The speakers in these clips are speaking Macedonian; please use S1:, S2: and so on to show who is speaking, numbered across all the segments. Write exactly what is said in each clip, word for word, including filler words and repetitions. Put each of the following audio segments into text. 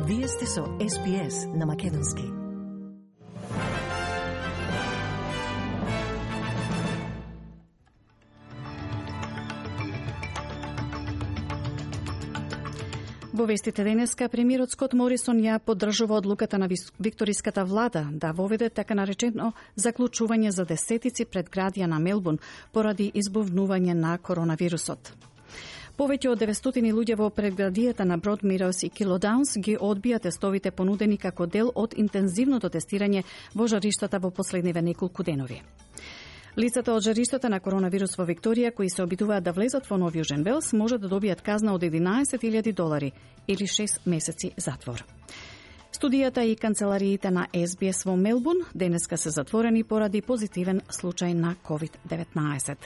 S1: Вие сте со Ес Би Ес на Македонски. Во вестите денеска, премиерот Скот Морисон ја поддржува одлуката на викториската влада да воведе така наречено заклучување за десетици предградија на Мелбурн поради избувнување на коронавирусот. Повеќе од деветстотини луѓе во предградијата на Бродмирос и Килодаунс ги одбија тестовите понудени како дел од интензивното тестирање во жариштата во последниве неколку денови. Лицата од жариштата на коронавирус во Викторија кои се обидуваат да влезат во Нов Јужен Велс може да добијат казна од единаесет илјади долари или шест месеци затвор. Студијата и канцелариите на Ес Би Ес во Мелбурн денеска се затворени поради позитивен случај на ковид деветнаесет.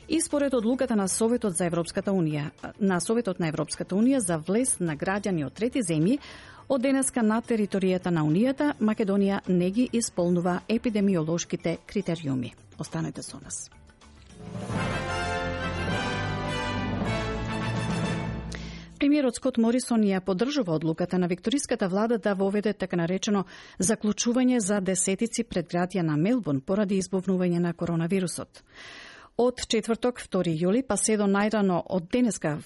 S1: И според одлуката на Советот за Европската унија, на Советот на Европската унија за влез на граѓани од трети земји, од денеска на територијата на Унијата, Македонија не ги исполнува епидемиолошките критериуми. Останете со нас. Премиерот Скот Морисон ја поддржува одлуката на викториската влада да воведе така наречено заклучување за десетици предградија на Мелбурн поради избувнување на коронавирусот. Од четврток, втори јули, па се до најрано од денеска,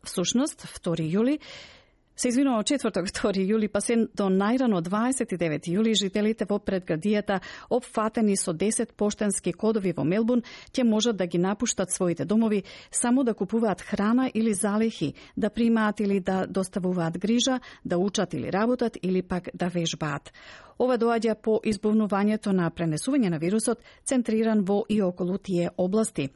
S1: всушност, втори јули, се извинува од четврток, втори јули, па се до најрано дваесет и девети јули, жителите во предградијата опфатени со десет поштенски кодови во Мелбурн ќе можат да ги напуштат своите домови само да купуваат храна или залехи, да примаат или да доставуваат грижа, да учат или работат или пак да вежбаат. Ова доаѓа по избувнувањето на пренесување на вирусот, центриран во и околу тие области.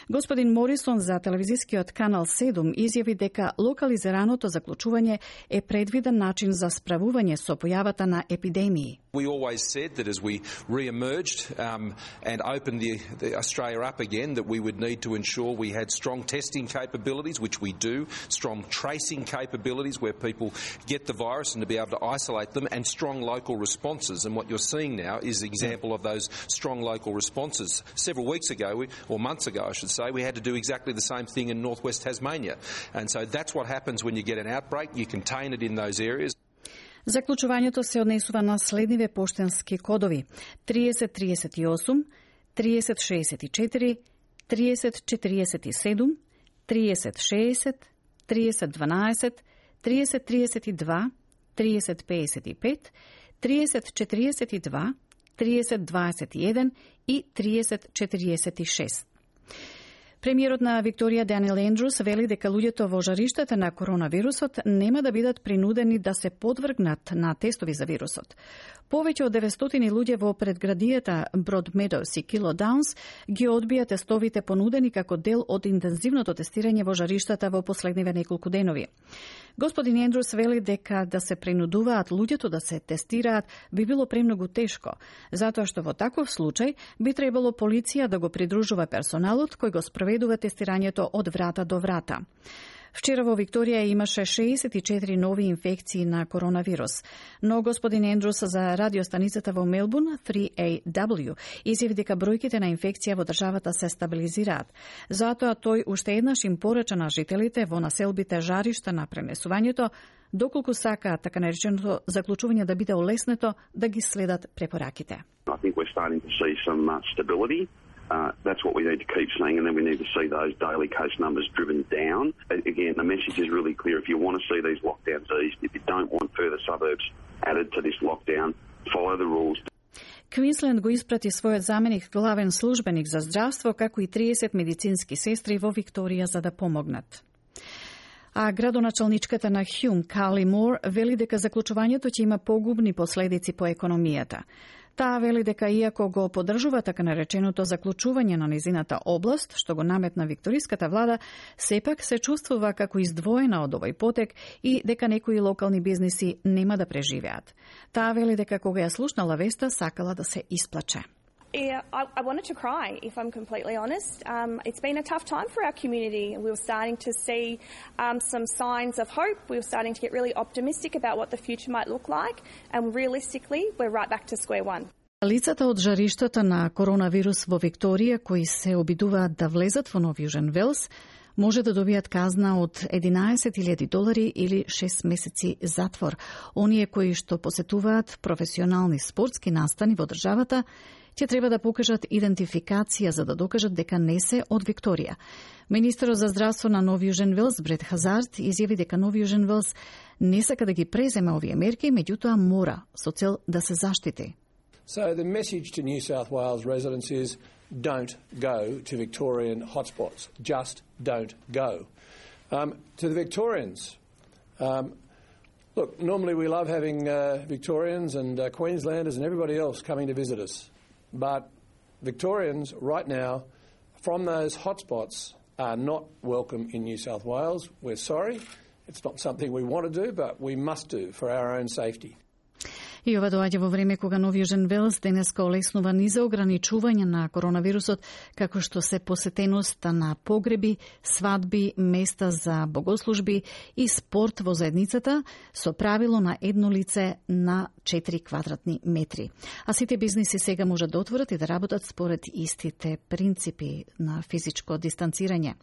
S1: Господин Морисон за телевизискиот канал седум изјави дека локализираното заклучување е предвиден начин за справување со појавата на епидемии.
S2: We always said that as we re-emerged um, and opened the, the Australia up again, that we would need to ensure we had strong testing capabilities, which we do, strong tracing capabilities where people get the virus and to be able to isolate them, and strong local responses. And what you're seeing now is an example of those strong local responses. Several weeks ago, we, or months ago I should say, we had to do exactly the same thing in northwest Tasmania. And so that's what happens when you get an outbreak. You contain it in those areas.
S1: Заклучувањето се однесува на следниве поштенски кодови: триесет триесет и осум, триесет шеесет и четири, триесет четириесет и седум, триесет шеесет, триесет дванаесет, триесет триесет и два, триесет пеесет и пет, триесет четириесет и два, триесет дваесет и еден и триесет четириесет и шест. Премиерот на Викторија Даниел Ендрус вели дека луѓето во жариштата на коронавирусот нема да бидат принудени да се подвргнат на тестови за вирусот. Повеќе од деветстотини луѓе во предградијата Бродмирос и Килодаунс ги одбија тестовите понудени како дел од интензивното тестирање во жариштата во последниве неколку денови. Господин Ендрус вели дека да се принудуваат луѓето да се тестираат би било премногу тешко, затоа што во таков случај би требало полиција да го придружува персоналот кој го спроведува тестирањето од врата до врата. Вчера во Викторија имаше шеесет и четири нови инфекции на коронавирус, но господин Ендрус за радиостаницата во Мелбурн три А W изјави дека бројките на инфекција во државата се стабилизираат. Затоа тој уште еднаш им порача на жителите во населбите жаришта на пренесувањето, доколку сакаат така нареченото заклучување да биде олеснето, да ги следат препораките.
S3: I think we're starting to see some uh, stability. Uh, that's what we need to keep seeing, and then we need to see those daily case numbers driven down. Again, the message is really clear. If you want to see these lockdowns eased, if you don't want further suburbs added to this lockdown, follow the rules.
S1: Квинсленд го испрати својот заменик главен службеник за здравство, како и триесет медицински сестри во Викторија за да помогнат. А градоначалничката на Хјум, Кали Мор, вели дека заклучувањето ќе има погубни последици по економијата. Таа вели дека иако го поддржува така нареченото заклучување на низината област, што го наметна викториската влада, сепак се чувствува како издвоена од овој потек и дека некои локални бизниси нема да преживеат. Таа вели дека кога ја слушнала веста, сакала да се исплаче.
S4: Yeah, I, I wanted to cry, if I'm completely honest. Um, it's been a tough time for our community. We were starting to see um, some signs of hope. We were starting to get really optimistic about what the future might look like. And realistically, we're right back to square one.
S1: Лицата од жариштата на коронавирус во Викторија, кои се обидуваат да влезат во Нов Јужен Велс, може да добијат казна од единаесет илјади долари или шест месеци затвор. Оние кои што посетуваат професионални спортски настани во државата ќе треба да покажат идентификација за да докажат дека не се од Викторија. Министерот за здравство на Нов Јужен Велс, Брет Хазард, изјави дека Нов Јужен Велс не сака да ги преземе овие мерки, меѓутоа мора со цел да се заштити.
S5: So the message to New South Wales residents is don't go to Victorian hotspots. Just don't go. Um, to the Victorians, um, look, normally we love having uh, Victorians and uh, Queenslanders and everybody else coming to visit us. But Victorians right now from those hotspots are not welcome in New South Wales. We're sorry. It's not something we want to do, but we must do for our own safety.
S1: И ова доаѓа во време кога Нов Јужен Велс денеска олеснува низа ограничување на коронавирусот, како што се посетеноста на погреби, свадби, места за богослужби и спорт во заедницата со правило на едно лице на четири квадратни метри. А сите бизниси сега можат да отворат и да работат според истите принципи на физичко дистанцирање.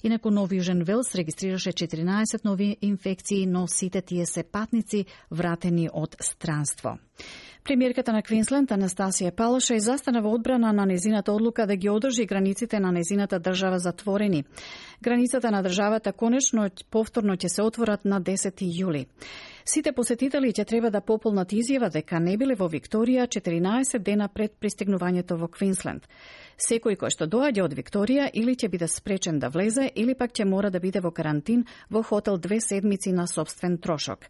S1: Инаку Нов Јужен Велс регистрираше четиринаесет нови инфекции, но сите тие се патници вратени од странство. Премиерката на Квинсленд Анастасија Палашај застана во одбрана на незината одлука да ги одржи границите на незината држава затворени. Границата на државата конечно повторно ќе се отворат на десети јули. Сите посетители ќе треба да пополнат изјава дека не биле во Викторија четиринаесет дена пред пристигнувањето во Квинсленд. Секој кој што доаѓа од Викторија или ќе биде спречен да влезе или пак ќе мора да биде во карантин во хотел две седмици на сопствен трошок.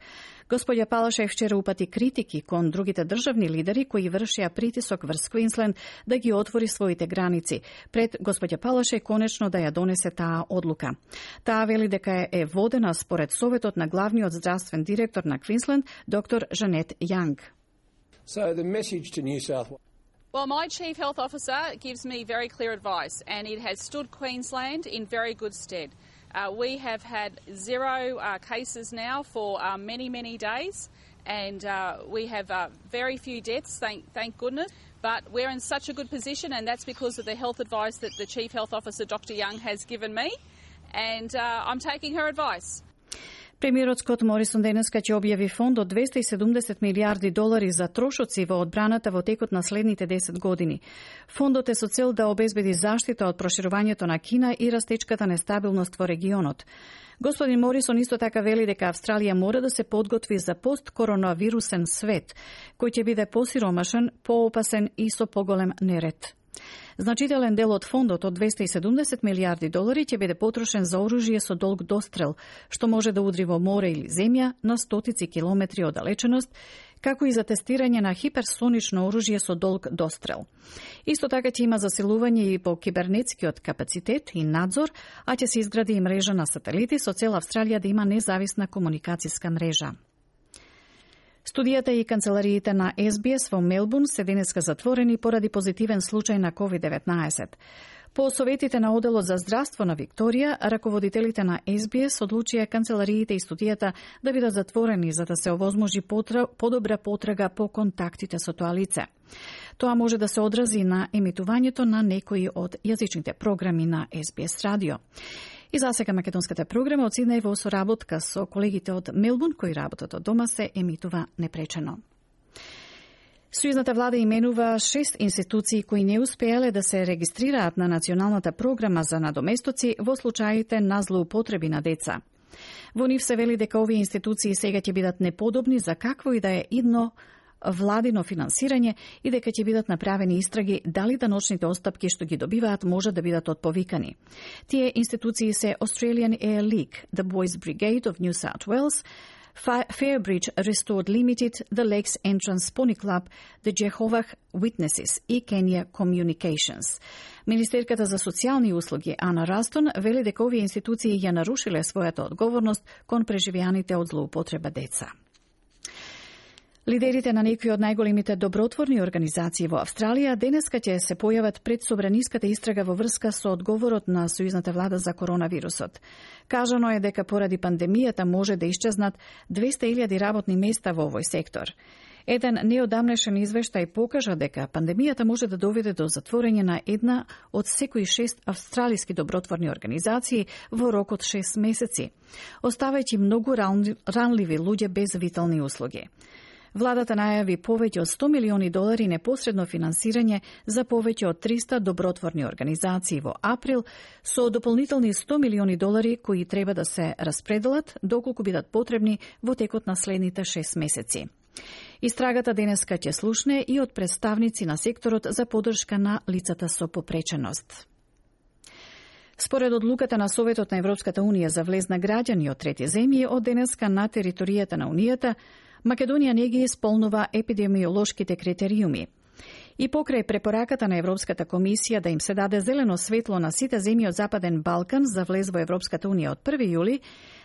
S1: Господја Палашај вчера упати критики кон другите државни лидери кои вршија притисок врз Квинсленд да ги отвори своите граници, пред господја Палашај конечно да ја донесе таа одлука. Таа вели дека е водена според советот на главниот здравствен директор на Квинсленд, доктор Жанет Јанг.
S5: So the message to New South Wales.
S6: Well, my Chief Health Officer gives me very clear advice, and it has stood Queensland in very good stead. Uh, we have had zero uh, cases now for uh, many, many days, and uh, we have uh, very few deaths, thank, thank goodness. But we're in such a good position, and that's because of the health advice that the Chief Health Officer, Doctor Young, has given me, and uh, I'm taking her advice.
S1: Премиерот Скот Морисон денеска ќе објави фонд од двесте и седумдесет милијарди долари за трошоци во одбраната во текот на следните десет години. Фондот е со цел да обезбеди заштита од проширувањето на Кина и растечката нестабилност во регионот. Господин Морисон исто така вели дека Австралија мора да се подготви за посткоронавирусен свет, кој ќе биде посиромашен, поопасен и со поголем неред. Значителен дел од фондот од двесте и седумдесет милијарди долари ќе биде потрошен за оружје со долг дострел, што може да удри во море или земја на стотици километри оддалеченост, како и за тестирање на хиперсонично оружје со долг дострел. Исто така ќе има засилување и по кибернетскиот капацитет и надзор, а ќе се изгради и мрежа на сателити со цел Австралија да има независна комуникацијска мрежа. Студијата и канцелариите на Ес Би Ес во Мелбурн се денеска затворени поради позитивен случај на ковид деветнаесет. По советите на Оделот за здравство на Викторија, раководителите на Ес Би Ес одлучија канцелариите и студијата да бидат затворени за да се овозможи подобра потрага по контактите со тоа лице. Тоа може да се одрази на емитувањето на некои од јазичните програми на Ес Би Ес радио. И за сега македонската програма од Сиднеј во соработка со колегите од Мелбурн кои работат од дома се емитува непречено. Сојузната влада именува шест институции кои не успеале да се регистрираат на националната програма за надоместоци во случаите на злоупотреби на деца. Во нив се вели дека овие институции сега ќе бидат неподобни за какво и да е идно владино финансирање и дека ќе бидат направени истраги дали даночните отстапки што ги добиваат можат да бидат отповикани. Тие институции се Australian Air League, the Boys Brigade of New South Wales, Fairbridge Restored Limited, the Lakes Entrance Pony Club, the Jehovah Witnesses и Kenya Communications. Министерката за социјални услуги Ана Растон вели дека овие институции ја нарушиле својата одговорност кон преживеаните од злоупотреба деца. Лидерите на некои од најголемите добротворни организации во Австралија денеска ќе се појават пред собраниската истрага во врска со одговорот на сојузната влада за коронавирусот. Кажано е дека поради пандемијата може да исчезнат двесте илјади работни места во овој сектор. Еден неодамнешен извештај покажа дека пандемијата може да доведе до затворање на една од секои шест австралиски добротворни организации во рок од шест месеци, оставајќи многу ранливи луѓе без витални услуги. Владата најави повеќе од сто милиони долари непосредно финансирање за повеќе од триста добротворни организации во април, со дополнителни сто милиони долари кои треба да се распределат доколку бидат потребни во текот на следните шест месеци. Истрагата денеска ќе слушне и од представници на секторот за поддршка на лицата со попреченост. Според одлуката на Советот на Европската Унија за влез на граѓани од трети земји, од денеска на територијата на Унијата, Македонија не ги исполнува епидемиолошките критериуми. И покрај препораката на Европската комисија да им се даде зелено светло на сите земји од Западен Балкан за влез во Европската Унија од први јули,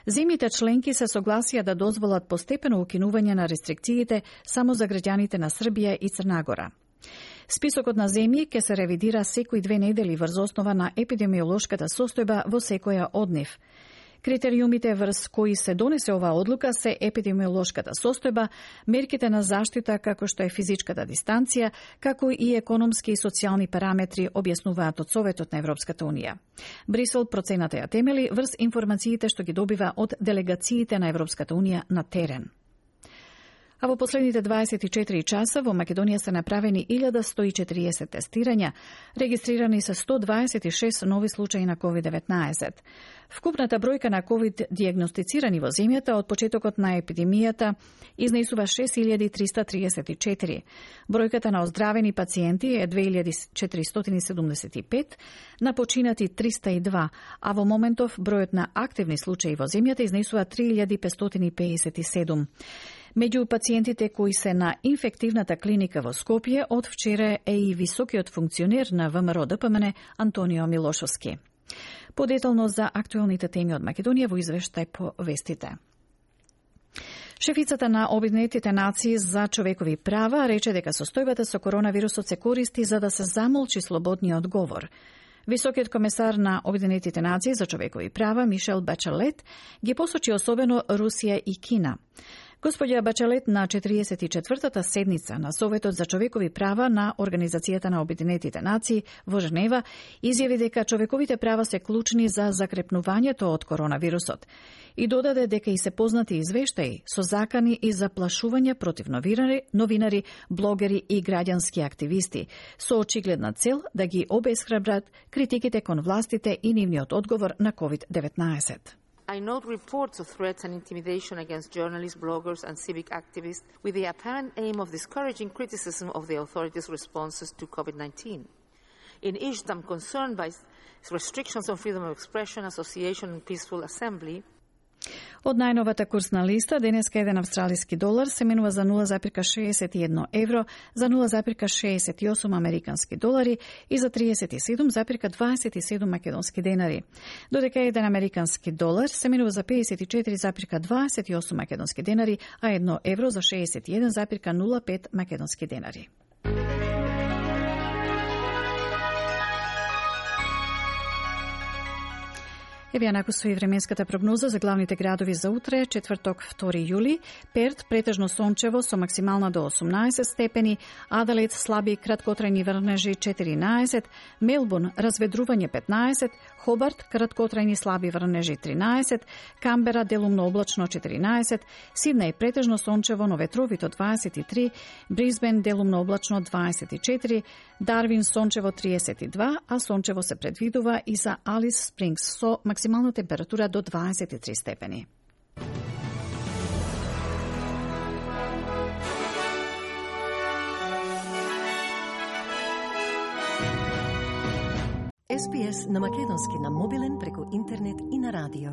S1: земјите членки се согласија да дозволат постепено укинување на рестрикциите само за граѓаните на Србија и Црна Гора. Списокот на земји ќе се ревидира секои две недели врз основа на епидемиолошката состојба во секоја од нив. Критериумите врз кои се донесе оваа одлука се епидемиолошката состојба, мерките на заштита како што е физичката дистанција, како и економски и социјални параметри, објаснуваат од Советот на Европската Унија. Брисел процената ја темели врз информациите што ги добива од делегациите на Европската Унија на терен. А во последните дваесет и четири часа во Македонија се направени илјада сто и четириесет тестирања, регистрирани се сто дваесет и шест нови случаи на ковид деветнаесет. Вкупната бројка на ковид дијагностицирани во земјата од почетокот на епидемијата изнесува шест илјади триста триесет и четири. Бројката на оздравени пациенти е две илјади четиристотини седумдесет и пет, на починати триста и два, а во моментов бројот на активни случаи во земјата изнесува три илјади петстотини педесет и седум. Меѓу пациентите кои се на инфективната клиника во Скопје од вчера е и високиот функционер на ВМРО Д П М Н Антонио Милошовски. Подетално за актуелните теми од Македонија во извештај по вестите. Шефицата на Обединетите нации за човекови права рече дека состојбата со коронавирусот се користи за да се замолчи слободниот говор. Високиот комесар на Обединетите нации за човекови права Мишел Бачелет ги посочи особено Русија и Кина. Господја Бачелет на четириесет и четвртата седница на Советот за човекови права на Организацијата на Обединетите нации во Женева изјави дека човековите права се клучни за закрепнувањето од коронавирусот и додаде дека и се познати извештаи со закани и заплашување против новинари, новинари, блогери и граѓански активисти со очигледна цел да ги обесхрабрат критиките кон властите и нивниот одговор на ковид деветнаесет.
S7: I note reports of threats and intimidation against journalists, bloggers and civic activists with the apparent aim of discouraging criticism of the authorities' responses to COVID nineteen. In each, I'm concerned by restrictions on freedom of expression, association and peaceful assembly.
S1: Од најновата курсна листа, денеска еден австралиски долар се менува за нула запирка шеесет и едно евро, за нула запирка шеесет и осум американски долари и за триесет и седум запирка дваесет и седум македонски денари. Додека еден американски долар се менува за педесет и четири запирка дваесет и осум македонски денари, а едно евро за шеесет и еден запирка нула пет македонски денари. Еве ја накусува и временската прогноза за главните градови за утре, четврток, втори јули. Перт претежно сончево со максимална до осумнаесет степени, Аделаид слаби краткотрајни врнежи четиринаесет, Мелбурн разведрување петнаесет, Хобарт краткотрајни слаби врнежи тринаесет, Камбера делумно облачно четиринаесет, Сиднеј претежно сончево но ветровито дваесет и три, Брисбен делумно облачно дваесет и четири, Дарвин сончево триесет и два, а сончево се предвидува и за Алис Спрингс со максимална температура до дваесет и три степени.
S8: Ес Би Ес на македонски на мобилен преку интернет и на радио.